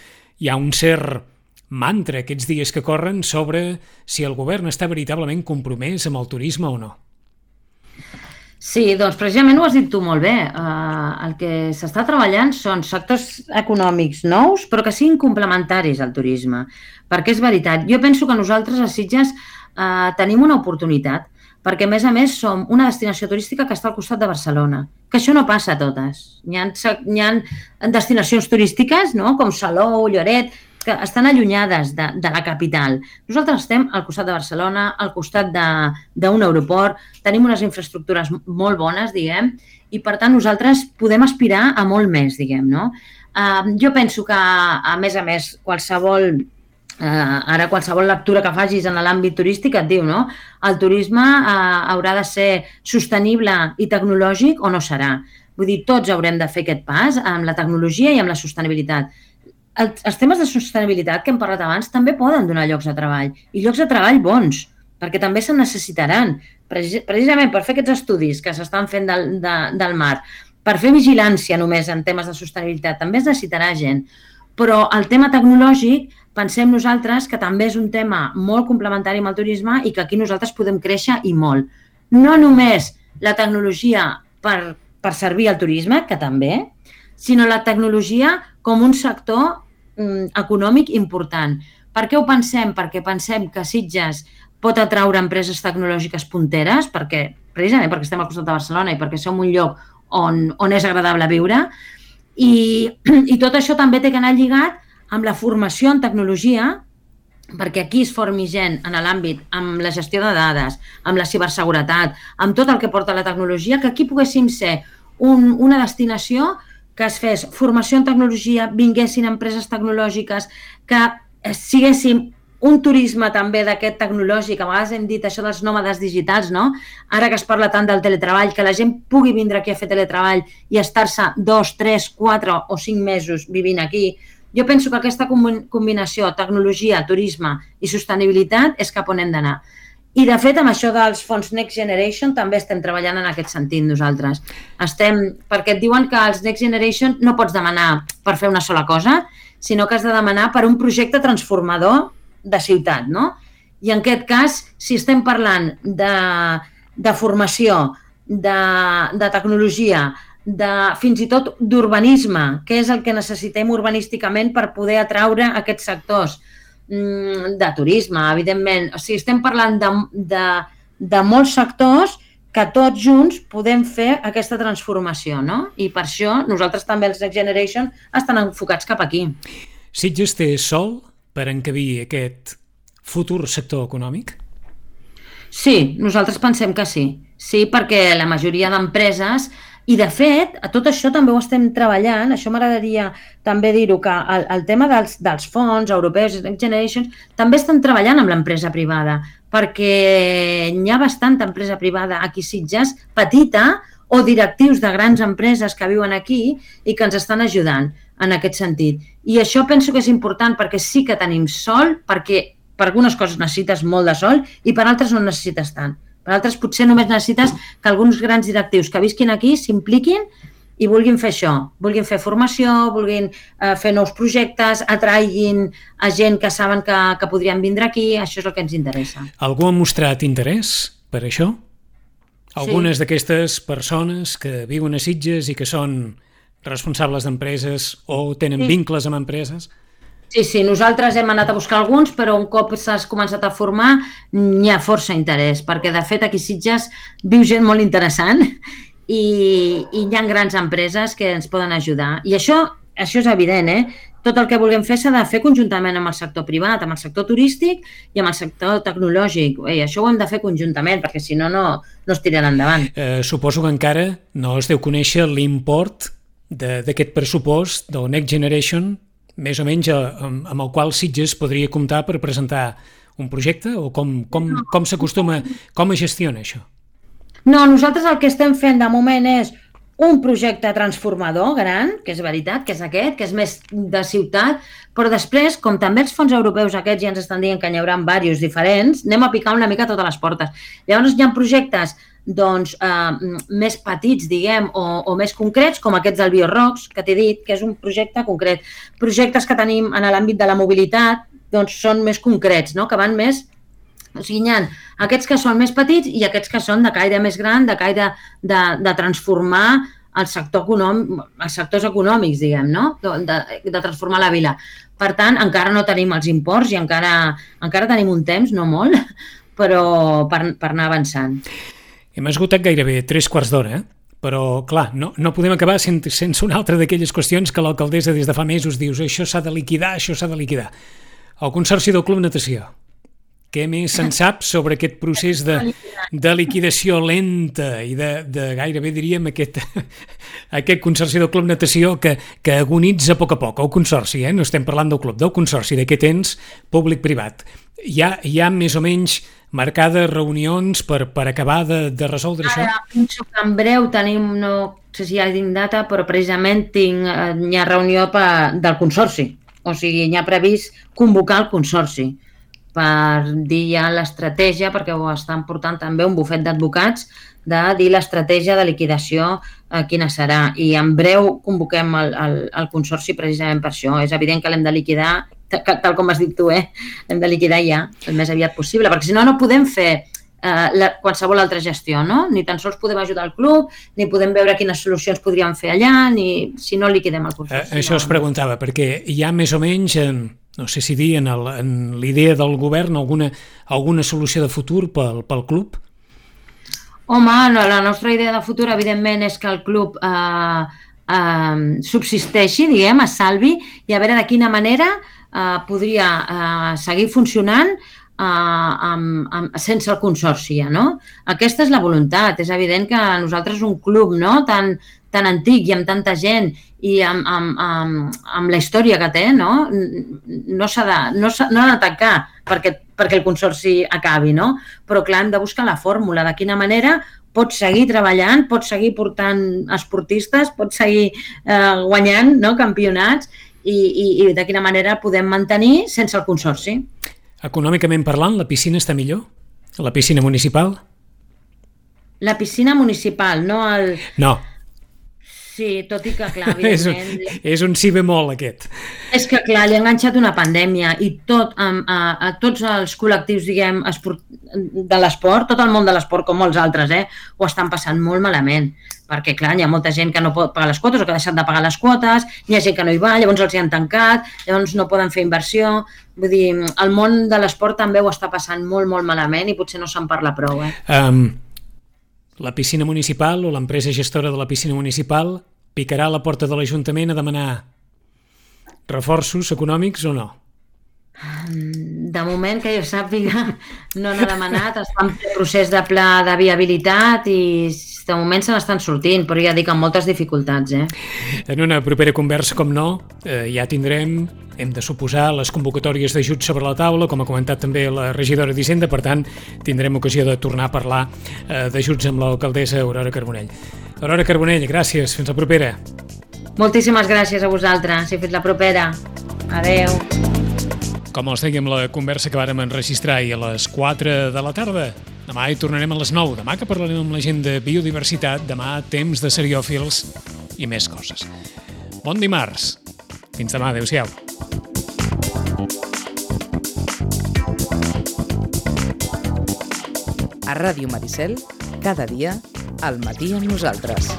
[SPEAKER 1] hi ha un cert mantra aquests dies que corren sobre si el govern està veritablement compromès amb el turisme o no.
[SPEAKER 2] Sí, doncs precisament ho has dit tu molt bé. Uh, el que s'està treballant són sectors econòmics nous, però que siguin complementaris al turisme. Perquè és veritat, jo penso que nosaltres a Sitges uh, tenim una oportunitat, perquè a més a més som una destinació turística que està al costat de Barcelona, que això no passa a totes. Hi ha, hi ha destinacions turístiques, no?, com Salou, Lloret, que estan allunyades de, de la capital. Nosaltres estem al costat de Barcelona, al costat d'un aeroport, tenim unes infraestructures molt bones, diguem, i per tant nosaltres podem aspirar a molt més, diguem, no? Uh, jo penso que, a més a més, qualsevol, uh, ara qualsevol lectura que facis en l'àmbit turístic et diu, no?, el turisme uh, haurà de ser sostenible i tecnològic o no serà. Vull dir, tots haurem de fer aquest pas amb la tecnologia i amb la sostenibilitat. Els temes de sostenibilitat que hem parlat abans també poden donar llocs de treball, i llocs de treball bons, perquè també se'n necessitaran, precisament per fer aquests estudis que s'estan fent del, de, del mar, per fer vigilància només en temes de sostenibilitat, també es necessitarà gent. Però el tema tecnològic, pensem nosaltres que també és un tema molt complementari amb el turisme i que aquí nosaltres podem créixer i molt. No només la tecnologia per, per servir al turisme, que també, sinó la tecnologia com un sector mm, econòmic important. Per què ho pensem? Perquè pensem que Sitges pot atraure empreses tecnològiques punteres, perquè, precisament perquè estem al costat de Barcelona i perquè som un lloc on, on és agradable viure, i, i tot això també té que anar lligat amb la formació en tecnologia, perquè aquí es formi gent en l'àmbit, amb la gestió de dades, amb la ciberseguretat, amb tot el que porta la tecnologia, que aquí poguéssim ser un, una destinació que es fes formació en tecnologia, vinguessin empreses tecnològiques, que siguéssim un turisme també d'aquest tecnològic, a vegades hem dit això dels nòmades digitals, no? Ara que es parla tant del teletreball, que la gent pugui vindre aquí a fer teletreball i estar-se dos, tres, quatre o cinc mesos vivint aquí. Jo penso que aquesta combinació tecnologia, turisme i sostenibilitat és cap on hem d'anar. I, de fet, amb això dels fons Next Generation també estem treballant en aquest sentit nosaltres. Estem, perquè et diuen que els Next Generation no pots demanar per fer una sola cosa, sinó que has de demanar per un projecte transformador de ciutat, no? I en aquest cas, si estem parlant de, de formació, de, de tecnologia, de, fins i tot d'urbanisme, què és el que necessitem urbanísticament per poder atraure aquests sectors, de turisme, evidentment. O sigui, estem parlant de, de, de molts sectors que tots junts podem fer aquesta transformació, no? I per això nosaltres també, els Next Generation, estan enfocats cap aquí.
[SPEAKER 1] Sitges té sol per encabir aquest futur sector econòmic?
[SPEAKER 2] Sí, nosaltres pensem que sí. Sí, perquè la majoria d'empreses, i de fet, a tot això també ho estem treballant, això m'agradaria també dir-ho, que el, el tema dels, dels fons europeus, Next Generation, també estan treballant amb l'empresa privada, perquè hi ha bastanta empresa privada aquí a Sitges, petita, o directius de grans empreses que viuen aquí i que ens estan ajudant en aquest sentit. I això penso que és important perquè sí que tenim sol, perquè per algunes coses necessites molt de sol i per altres no necessites tant. Per altres potser només necessites que alguns grans directius que visquin aquí s'impliquin i vulguin fer això, vulguin fer formació, vulguin eh, fer nous projectes, atraiguin a gent que saben que, que podrien vindre aquí, això és el que ens interessa.
[SPEAKER 1] Algú ha mostrat interès per això? Algunes sí. D'aquestes persones que viuen a Sitges i que són responsables d'empreses o tenen sí. Vincles amb empreses?
[SPEAKER 2] Sí, sí, nosaltres hem anat a buscar alguns, però un cop s'has començat a formar n'hi ha força interès, perquè de fet aquí a Sitges viu gent molt interessant i, i hi ha grans empreses que ens poden ajudar. I això, això és evident, eh? Tot el que vulguem fer s'ha de fer conjuntament amb el sector privat, amb el sector turístic i amb el sector tecnològic. I això ho hem de fer conjuntament, perquè si no, no, no es tirarà endavant.
[SPEAKER 1] Eh, suposo que encara no es deu conèixer l'import d'aquest pressupost del Next Generation, més o menys amb, amb el qual Sitges podria comptar per presentar un projecte, o com, com, com s'acostuma, com es gestiona això?
[SPEAKER 2] No, nosaltres el que estem fent de moment és un projecte transformador gran, que és veritat, que és aquest, que és més de ciutat, però després, com també els fons europeus aquests ja ens estan dient que n'hi haurà diversos diferents, anem a picar una mica totes les portes. Llavors hi ha projectes doncs, eh, més petits, diguem, o, o més concrets, com aquests del BioRocks, que t'he dit, que és un projecte concret. Projectes que tenim en l'àmbit de la mobilitat doncs, són més concrets, no? Que van més... O sigui, hi ha aquests que són més petits i aquests que són de caire més gran, de caire de, de transformar el sector econòmic, els sectors econòmics, diguem, no? De, de transformar la vila. Per tant, encara no tenim els imports i encara, encara tenim un temps, no molt, però per, per anar avançant.
[SPEAKER 1] Hem esgotat gairebé tres quarts d'hora, eh? Però, clar, no, no podem acabar sense, sense una altra d'aquelles qüestions que l'alcaldessa des de fa mesos dius això s'ha de liquidar, això s'ha de liquidar. El Consorci del Club Natació. Què més se'n sap sobre aquest procés de, de liquidació lenta i de, de gairebé, diríem, aquest, aquest Consorci del Club Natació que, que agonitza a poc a poc, el Consorci, eh? No estem parlant del club, del Consorci, d'aquest ens públic-privat. Hi ha, hi ha més o menys marcades reunions per, per acabar de, de resoldre això?
[SPEAKER 2] Ara, penso que en breu tenim, no sé si ja tinc data, però precisament tinc, hi ha reunió per, del Consorci. O sigui, hi ha previst convocar el Consorci. per dir ja l'estratègia, perquè ho estan portant també un bufet d'advocats, de dir l'estratègia de liquidació eh, quina serà. I en breu convoquem el, el, el consorci precisament per això. És evident que l'hem de liquidar, tal com has dit tu, eh? L'hem de liquidar ja, el més aviat possible, perquè si no, no podem fer eh, la, qualsevol altra gestió, no? Ni tan sols podem ajudar el club, ni podem veure quines solucions podríem fer allà, ni si no liquidem el consorci.
[SPEAKER 1] Eh, això es preguntava, perquè hi ha més o menys... Eh... no sé si dir, en l'idea del govern, alguna, alguna solució de futur pel, pel club?
[SPEAKER 2] Home, no, la nostra idea de futur, evidentment, és que el club eh, eh, subsisteixi, diguem, es salvi, i a veure de quina manera eh, podria eh, seguir funcionant eh, amb, amb, sense el consorci, no? Aquesta és la voluntat. És evident que nosaltres un club, no?, tan, tan antic i amb tanta gent i amb, amb, amb, amb la història que té, no, no s'ha de, no s'ha, no ha de tancar perquè, perquè el consorci acabi, no? Però clar, hem de buscar la fórmula, de quina manera pots seguir treballant, pots seguir portant esportistes, pots seguir eh, guanyant, no?, campionats i, i, i de quina manera podem mantenir sense el consorci.
[SPEAKER 1] Econòmicament parlant, la piscina està millor? La piscina municipal?
[SPEAKER 2] La piscina municipal, no el...
[SPEAKER 1] No.
[SPEAKER 2] Sí, tot i que, clar, evidentment...
[SPEAKER 1] és, un, és un sí bemol, aquest.
[SPEAKER 2] És que, clar, li ha enganxat una pandèmia i tot, a, a, a tots els col·lectius, diguem, esport, de l'esport, tot el món de l'esport, com molts altres, eh, ho estan passant molt malament. Perquè, clar, hi ha molta gent que no pot pagar les quotes o que ha deixat de pagar les quotes, hi ha gent que no hi va, llavors els hi han tancat, llavors no poden fer inversió... Vull dir, el món de l'esport també ho està passant molt, molt malament i potser no se'n parla prou, eh?
[SPEAKER 1] Um... La piscina municipal o l'empresa gestora de la piscina municipal picarà a la porta de l'Ajuntament a demanar reforços econòmics o no?
[SPEAKER 2] De moment, que jo sàpiga, no n'ha demanat. Està en procés de pla de viabilitat i de moment se n'estan sortint, però ja dic amb moltes dificultats. Eh?
[SPEAKER 1] En una propera conversa, com no, eh, ja tindrem, hem de suposar, les convocatòries d'ajuts sobre la taula, com ha comentat també la regidora d'Hisenda, per tant, tindrem ocasió de tornar a parlar eh, d'ajuts amb l'alcaldessa Aurora Carbonell. Aurora Carbonell, gràcies, fins la propera.
[SPEAKER 2] Moltíssimes gràcies a vosaltres i fins la propera. Adeu.
[SPEAKER 1] Com els dèiem, la conversa que vàrem enregistrar ahir a les quatre de la tarda. Demà hi tornarem a les nou. Demà que parlarem amb la gent de biodiversitat. Demà temps de seriòfils i més coses. Bon dimarts. Fins demà. Adéu-siau.
[SPEAKER 3] A Ràdio Maricel, cada dia, al matí amb nosaltres.